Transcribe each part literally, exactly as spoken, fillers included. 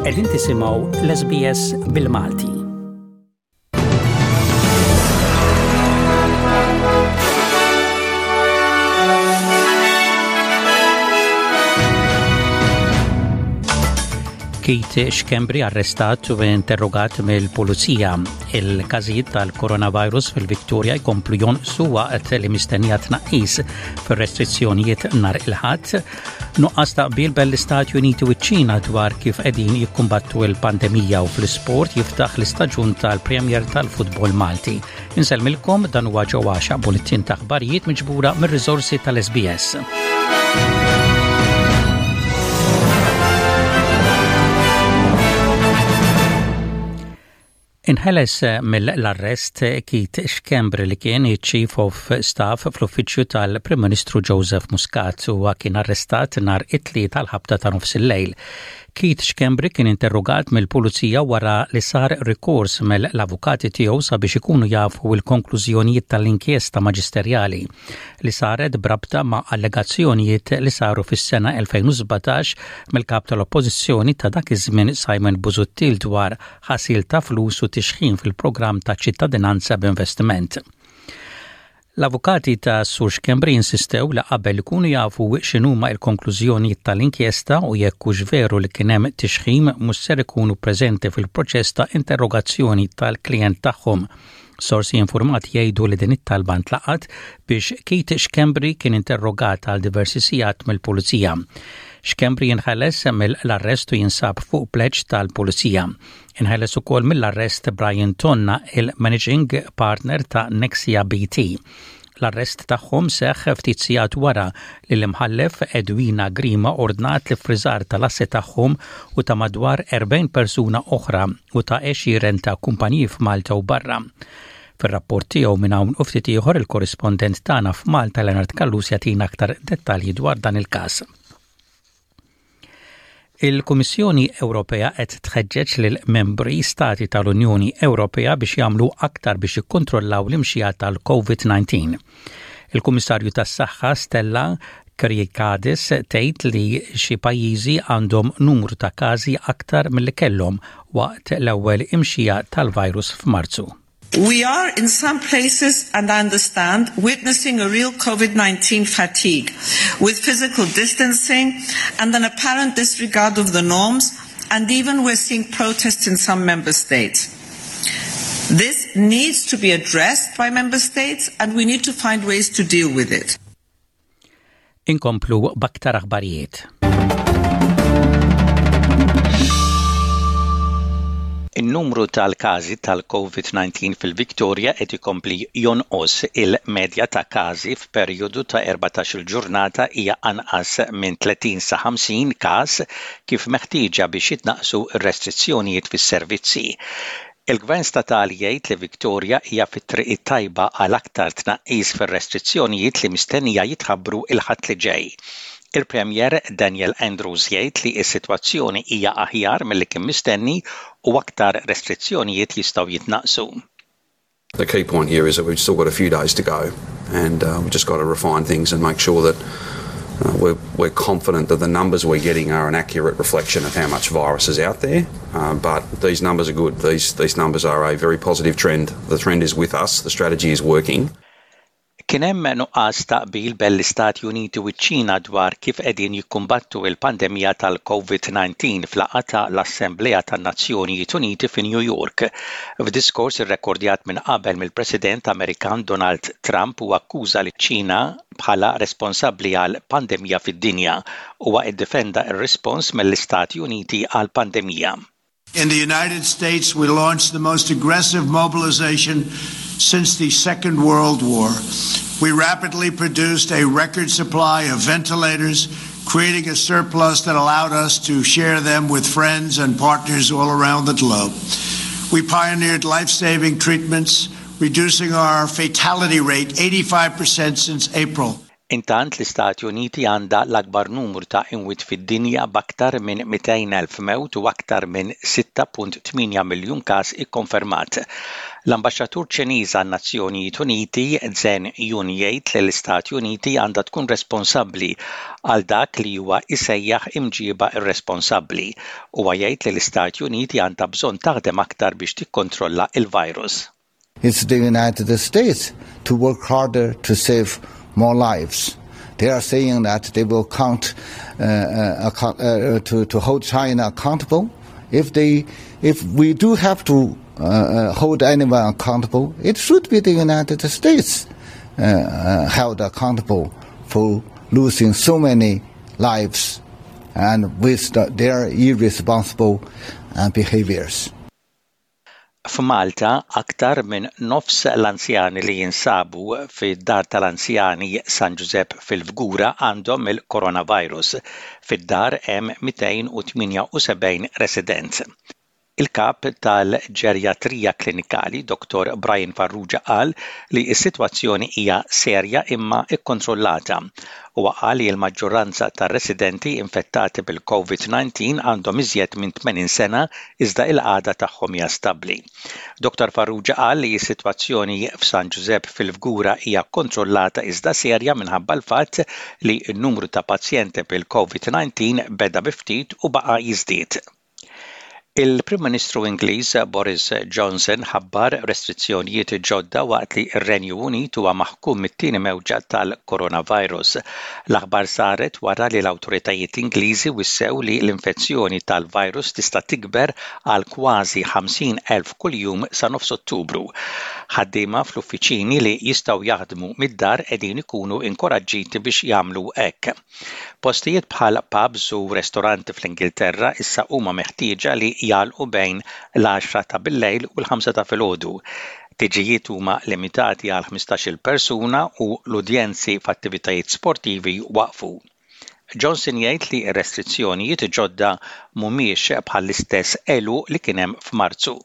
Qegħdin tisimgħu l-S B S bil-Malti. Keith Schembri arrestat u interrogat mill-pulizija. Il-każijiet tal-coronavirus fil-Victoria jkomplu jonqsu waqt li mistennija tnaqqis fir-restrizzjonijiet nhar il-Ħadd. Nuqqas ta' qbil bejn l-Istati Uniti u ċ-Ċina dwar kif qegħdin jikkumbattu l-pandemija u fl-isport jiftaħ l-istaġun tal-Premier tal-Futbol Malti. Insellmilkom, dan huwa Joe Axiaq, bulletin ta' aħbarijiet miġbura mir-riżorsi tal-S B S. Inħeles mill-arrest Keith Schembri li kien Chief of Staff fl-uffiċċju tal-Prim Ministru Joseph Muscat u kien arrestat nhar it-Tlieta tal-ħabta ta' nofs il-lejl. Keith Schembri kien interrogat mill-pulizija wara li sar rikors mill-avukati tiegħu sabiex ikunu jafu l-konklużjonijiet tal-inkjesta maġisterjali li saret brabta ma' allegazzjonijiet li saru fis-sena elfejn u sbatax mill-kap tal-Oppożizzjoni ta' dak iż-żmien Simon Busuttil dwar ħasil ta' flus u tixħim fil-programm ta' ċittadinanza b'investiment. L-avukati ta' Sur Schembri insistew li qabel ikunu jafu x'inhuma l-konklużjoni tal-inkjesta u jekk hux veru li kien hemm tixħim mhux ser ikunu preżenti fil-proċess ta' interrogazzjoni tal-klient tagħhom. Sorsi informati jgħidu li din it-talba ntlaqat biex Keith Schembri kien interrogat għal diversi sigħat mill-pulizija. Schembri jinħeles mill-arrest u jinsab fuq pleġġ tal-pulizija. Inħeles ukoll mill-arrest Brian Tonna, il-managing partner ta' Nexia B T. L-arrest tagħhom seħħ ftit sigħat wara li l-imħallef Edwina Grima ordnat l-iffriżar tal-assi tagħhom u ta' madwar erbgħin persuna oħra u ta' għexieren ta' kumpaniji f'Malta u barra. Fir-rapport tiegħu minn hawn u ftit ieħor, il-korrispondent tagħna f'Malta Leonard Callus jagħtina aktar dettalji dwar dan il-każ. Il-Kummissjoni Ewropea qed tħeġġeġ lil membri stati tal-Unjoni Ewropea biex jagħmlu aktar biex jikkontrollaw l-imxija tal-COVID nineteen. Il-Kummissarju tas-Saħħa Stella Kyriakides tgħid li xi pajjiżi għandhom numru ta' każi aktar milli kellhom waqt l-ewwel imxija tal-virus f'Marzu. We are in some places, and I understand, witnessing a real COVID nineteen fatigue, with physical distancing and an apparent disregard of the norms, and even we're seeing protests in some member states. This needs to be addressed by member states, and we need to find ways to deal with it. Inkomplu b'aktar aħbarijiet. In-numru tal-każi tal-COVID nineteen fil-Victoria qed ikompli jonqos. Il-medja ta' każi f'perjodu ta' erbatax-il ġurnata hija anqas minn tletin sa ħamsin każ, kif meħtieġa biex jitnaqsu r-restrizzjonijiet fis-servizzi. Il-Gvern statali jgħid li Victoria hija fit-triq it-tajba għal aktar tnaqqis fir-restrizzjonijiet li mistennija jitħabbru il-Ħadd li ġej. Il-Premier Daniel Andrews jgħid li s-sitwazzjoni hija aħjar milli kien mistenni u aktar restrizzjonijiet jistgħu jitnaqsu. The key point here is that we've still got a few days to go and uh, we've just got to refine things and make sure that uh, we're, we're confident that the numbers we're getting are an accurate reflection of how much virus is out there. Uh, but these numbers are good. These, these numbers are a very positive trend. The trend is with us. The strategy is working. Kien hemm nuqqas ta' qbil bejn l-Istati Uniti u ċ-Ċina dwar kif qegħdin jikkumbattu il-pandemija tal-COVID nineteen fl-laqgħa ta' l-Assemblea tan-Nazzjonijiet Uniti fi New York. F'diskors irrekordjat minn qabel mill-President Amerikan Donald Trump, u akkuża liċ-Ċina bħala responsabbli għal pandemija fid-dinja u iddefenda r-rispons mill-Istati Uniti għal pandemija. In the United States, we launched the most aggressive mobilization since the Second World War. We rapidly produced a record supply of ventilators, creating a surplus that allowed us to share them with friends and partners all around the globe. We pioneered life saving treatments, reducing our fatality rate eighty-five percent since April. Intant l-Istati Uniti għandha l-akbar numru ta' imwiet fid-dinja b'aktar minn mitejn elf mewt u aktar minn sitta punt tmienja miljun każ ikkonfermat. L-Ambaxxatur Ċiniż għan-Nazzjonijiet Uniti Zheng Jun jgħid li l-Istati Uniti għandha tkun responsabbli għal dak li huwa jsejjaħ imġiba irresponsabbli. Huwa jgħid li l-Istati Uniti għandha bżonn taħdem aktar biex tikkontrolla il-virus. It's the United States to work harder to save more lives. They are saying that they will count, uh, uh, uh, to, to hold China accountable. If they, if we do have to, uh, uh, hold anyone accountable, it should be the United States, uh, uh, held accountable for losing so many lives and with the, their irresponsible, uh, behaviors. F'Malta, aktar minn nofs l-anzjani li jinsabu fid-dar tal-anzjani San Giuseppe fil-Fgura għandhom il-coronavirus. Fid-dar hemm mitejn u tmienja u sebgħin resident. Il-kap tal-ġerjatrija klinikali, Doktor Brian Farrugia, qal li s-sitwazzjoni hija serja imma ikkontrollata. Huwa qal li l-maġġoranza tar-residenti infettati bil-COVID nineteen għandhom iżjed minn tmenin sena iżda il-qagħda tagħhom hija stabbli. Doktor Farrugia qal li s-sitwazzjoni f'San Giuseppe fil-Fgura hija kontrollata iżda serja minħabba l-fatt li n-numru ta' pazjenti bil-COVID nineteen beda bi ftit u baqa' jiżdied. Il-Prim Ministru Ingliż Boris Johnson ħabbar restrizzjonijiet ġodda waqt li r-Renju Unit huwa maħkum mit-tieni mewġa tal-coronavirus. L-aħbar saret wara li l-awtoritajiet Ingliżi wissew li l-infezzjoni tal-virus tista' tikber għal kważi ħamsin elf kuljum sa nofs Ottubru. Ħaddiema fl-uffiċini li jistgħu jaħdmu mid-dar qegħdin ikunu inkoraġġiti biex jagħmlu hekk. Postijiet bħal pubs u ristoranti fl-Ingilterra issa huma meħtieġa li jagħlqu bejn l-għaxra ta' billejl u l-ħamsa ta' filgħodu. Tiġijiet huma limitati għal ħmistax-il persuna u l-udjenzi f'attivitajiet sportivi waqfu. Johnson jgħid li r-restrizzjonijiet ġodda mhumiex bħall-istess għeluq li kien hemm f'Marzu.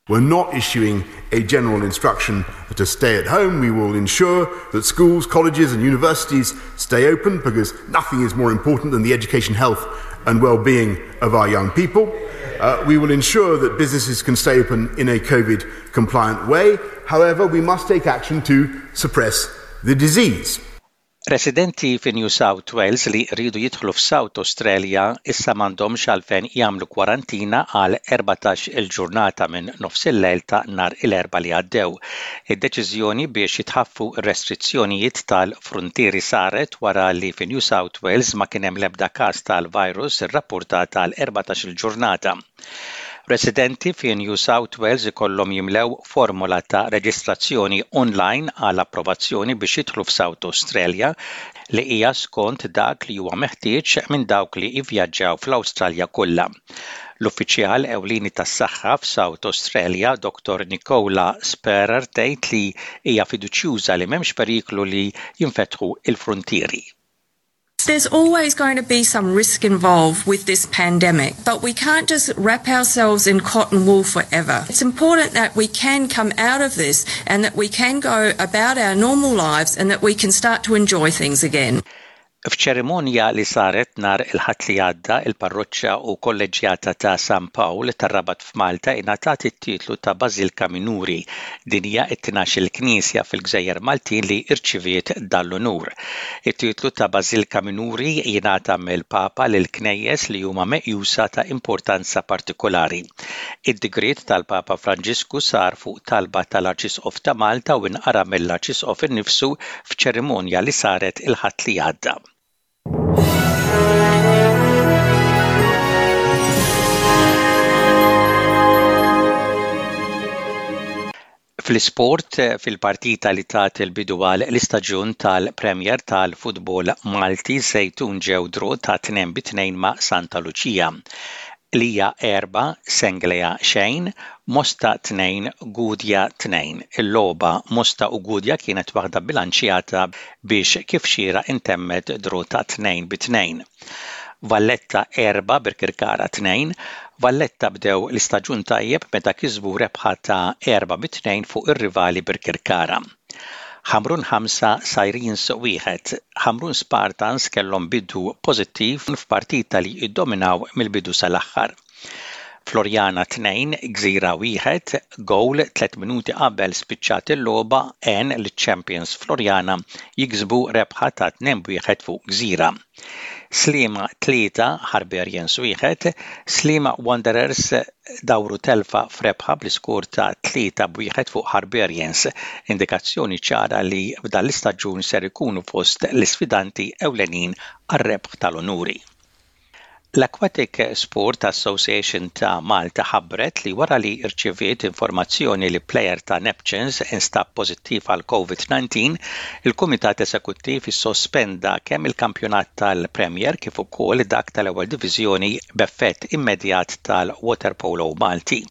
We're not issuing a general instruction to stay at home. We will ensure that schools, colleges and universities stay open because nothing is more important than the education, health and well-being of our young people. Uh, we will ensure that businesses can stay open in a COVID-compliant way. However, we must take action to suppress the disease. Residenti fi New South Wales li rridu jidħlu f'South Australia issa m'għandhomx għalfejn jagħmlu kwarantina għal erbatax il-ġurnata minn nofs il-lejl ta' nhar il-Erbgħa li għaddew. Id-deċiżjoni biex jitħaffu r-restrizzjonijiet tal-frontieri saret wara li fi New South Wales ma kien hemm l-ebda każ tal-virus irrapportat għal erbatax il-ġurnata. Residenti fi New South Wales ikollhom jimlew formola ta' reġistrazzjoni online għal approvazzjoni biex jidħlu f'South Australia li hija skont dak li huwa meħtieġ minn dawk li jivvjaġġaw fl-Awstralja kollha. L-uffiċjal ewlieni tas-saħħa f'South Australia, Doktor Nicola Spurrier, tgħid li hija fiduċjuża li m'hemmx periklu li jinfetħu il-frontieri. There's always going to be some risk involved with this pandemic, but we can't just wrap ourselves in cotton wool forever. It's important that we can come out of this and that we can go about our normal lives and that we can start to enjoy things again. F'ċerimonja li saret nhar il-Ħadd li għadda, il-parroċċa u kolleġġjata ta' San Pawl tar-Rabat f'Malta ingħatat it-titlu ta' Bażilka Minuri. Din hija t-tnax-il knisja fil-Gżejjer Maltin li rċiviet dal-unur. It-titlu ta' Bażilka Minuri jingħata mill-Papa lil knejjes li huma meqjusa ta' importanza partikolari. Id-digriet tal-Papa Franġisku sar fuq talba tal-Arċisqof ta' Malta u inqara mill-Arċisqof innifsu f'ċerimonja li saret il-Ħadd li għadda. Fl-isport, fil-partita li tat il-bidu għal l-istaġun tal-Premier tal-Futbol Malti, Żejtun ġew draw ta' tnejn bi tnejn ma' Santa Lucia. Lija erba', Senglea xejn, Mosta tnejn, Gudja tnejn. Il-logħba Mosta u Gudja kienet waħda bilanċjata biex kif xieraq intemmet draw ta' tnejn bi tnejn. Valletta erba', Birkirkara tnejn. Valletta bdew l-istaġun tajjeb meta kisbu rebħa ta' erba' bi tnejn fuq ir-rivali Birkirkara. Ħamrun ħamsa Sirens wieħed. Ħamrun Spartans kellhom bidu pożittiv f'partita li iddominaw mill-bidu sal-aħħar. Floriana tnejn, Gżira wieħed, gowl tliet minuti qabel spiċċat il-logħba għen liċ-champions Floriana jiksbu rebħa ta' tnejn wieħed fuq Gżira. Sliema tlieta, Harbarians wieħed, Sliema Wanderers dawru telfa f'rebħa bl-iskur ta' tlieta b'wieħed fuq Harbarians, indikazzjoni ċara li f'dan l-istaġun ser ikunu fost l-isfidanti ewlenin għar-rebħ tal-onuri. L-Aquatic Sport Association ta' Malta ħabbret li wara li rċeviet informazzjoni li plejer ta' Neptunes instab pożittiv għal COVID disa' il-Kumitat Esekuttiv issospenda kemm il-kampjonat tal-Premier kif ukoll dak tal-ewwel diviżjoni b'effett immedjat tal-Waterpolo Malti.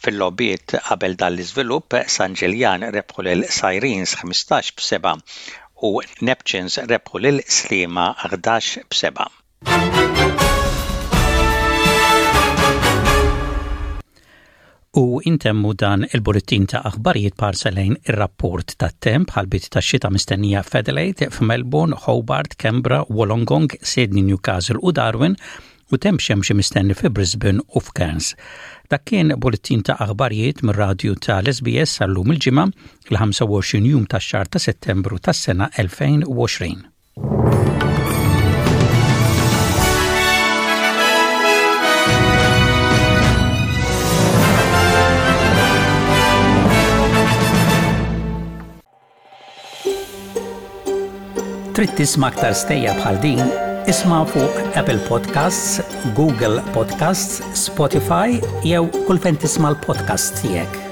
Fil-logħbiet qabel dan l-iżvilupp, San Ġiljan rebħu lil Sirens ħmistax b'seba' u Neptunes rebħu lil Sliema ħdax b'seba'. U intemmu dan il-bulletin ta' aħbarijiet b'ħarsa lejn ir-rapport ta' temp ħalbiet ta' xita mistennija f'Adelaide, f'Melbourne, Hobart, Canberra, Wollongong, Sydney, Newcastle u Darwin u temp xemxi mistenni fi Brisbane u f'Cairns. Dak kien bulletin ta' aħbarijiet mir-radju ta' l-S B S għal-lum il-ġimgħa il-ħamsa u għoxrin jum tax-xahar ta' Settembru tas-sena elfejn u għoxrin. Trid tisma' aktar stejjer bħal din? Isma' fuq Apple Podcasts, Google Podcasts, Spotify jew kull fejn tisma' l-podcast tiegħek.